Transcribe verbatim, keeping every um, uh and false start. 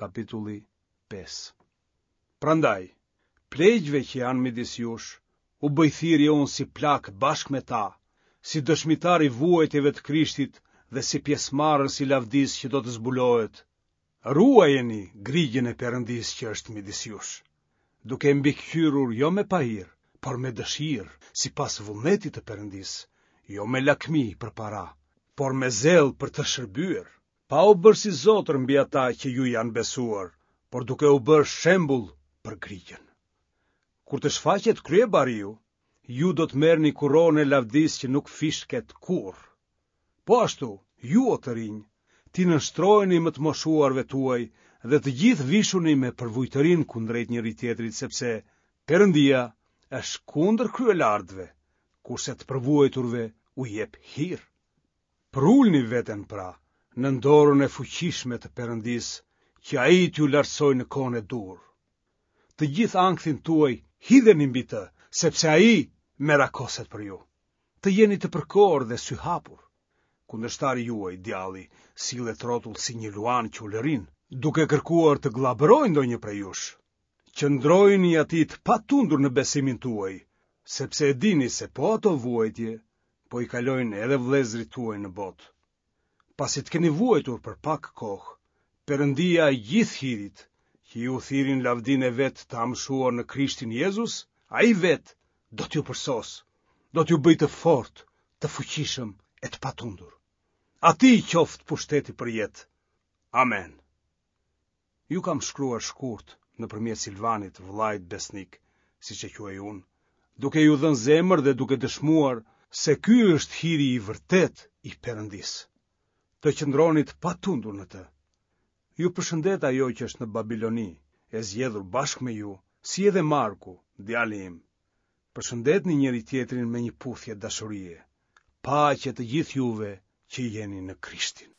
Kapitulli pesë. Prandaj, pleqve që janë midis jush, u bëj thirrje unë si plak bashkë me ta, si dëshmitar i vuajtjeve të Krishtit dhe si pjesëmarrës i lavdisë që do të zbulohet. Ruajeni grigjën e Perëndisë që është midis jush, duke e mbikëqyrur jo me pahir, por me dëshirë, sipas vullnetit të Perëndisë, jo me lakmi për para, por me zell për të shërbyer, pa u bërë si zotër mbi ata që ju janë besuar, por duke u bërë shembull për grigjën. Kur të shfaqet kryebariu, ju do të merrni kuronën e lavdisë që nuk fishket kurrë. Po ashtu, ju o të rinj, t'i nënshtroheni më të moshuarve tuaj dhe të gjithë vishuni me përvujtërinë kundrejt njëri-tjetrit, sepse Perëndia është kundër kryelartëve, kurse të përvuajturve u jep hir. Përulni veten pra nën dorën e fuqishme të Perëndisë, që ai t'ju lartësojë në kohën e duhur. Të gjithë ankthin tuaj hidheni mbi të, sepse ai merakoset për ju. Të jeni të përkorë dhe syhapur. Kundërshtari juaj, djalli, sillet rrotull si një luan që ulërin, duke kërkuar të gllabërojë ndonjë prej jush. Qëndrojini atij të patundur në besimin tuaj, sepse e dini se po ato vuajtje po i kalojnë edhe vëllezërit tuaj në botë. Pasi të keni vuajtur për pak kohë, Perëndia e gjithë hirit, që ju thirri në lavdinë e vet të amshuar në Krishtin Jezus, ai vetë do t'ju përsosë, do t'ju bëjë të fortë, të fuqishëm e të patundur. Atij qoftë pushteti për jetë. Amen. Ju kam shkruar shkurt nëpërmjet Silvanit, vëllait besnik, siç e quaj unë, duke ju dhënë zemër dhe duke dëshmuar se ky është hiri i vërtetë i Perëndisë. Të qëndroni të patundur në të. Ju përshëndet ajo që është në Babiloni, e zgjedhur bashkë me ju, si edhe Marku, djali im. Përshëndetni njëri tjetrin me një puthje dashurie. Paqe të gjithë juve që jeni në Krishtin.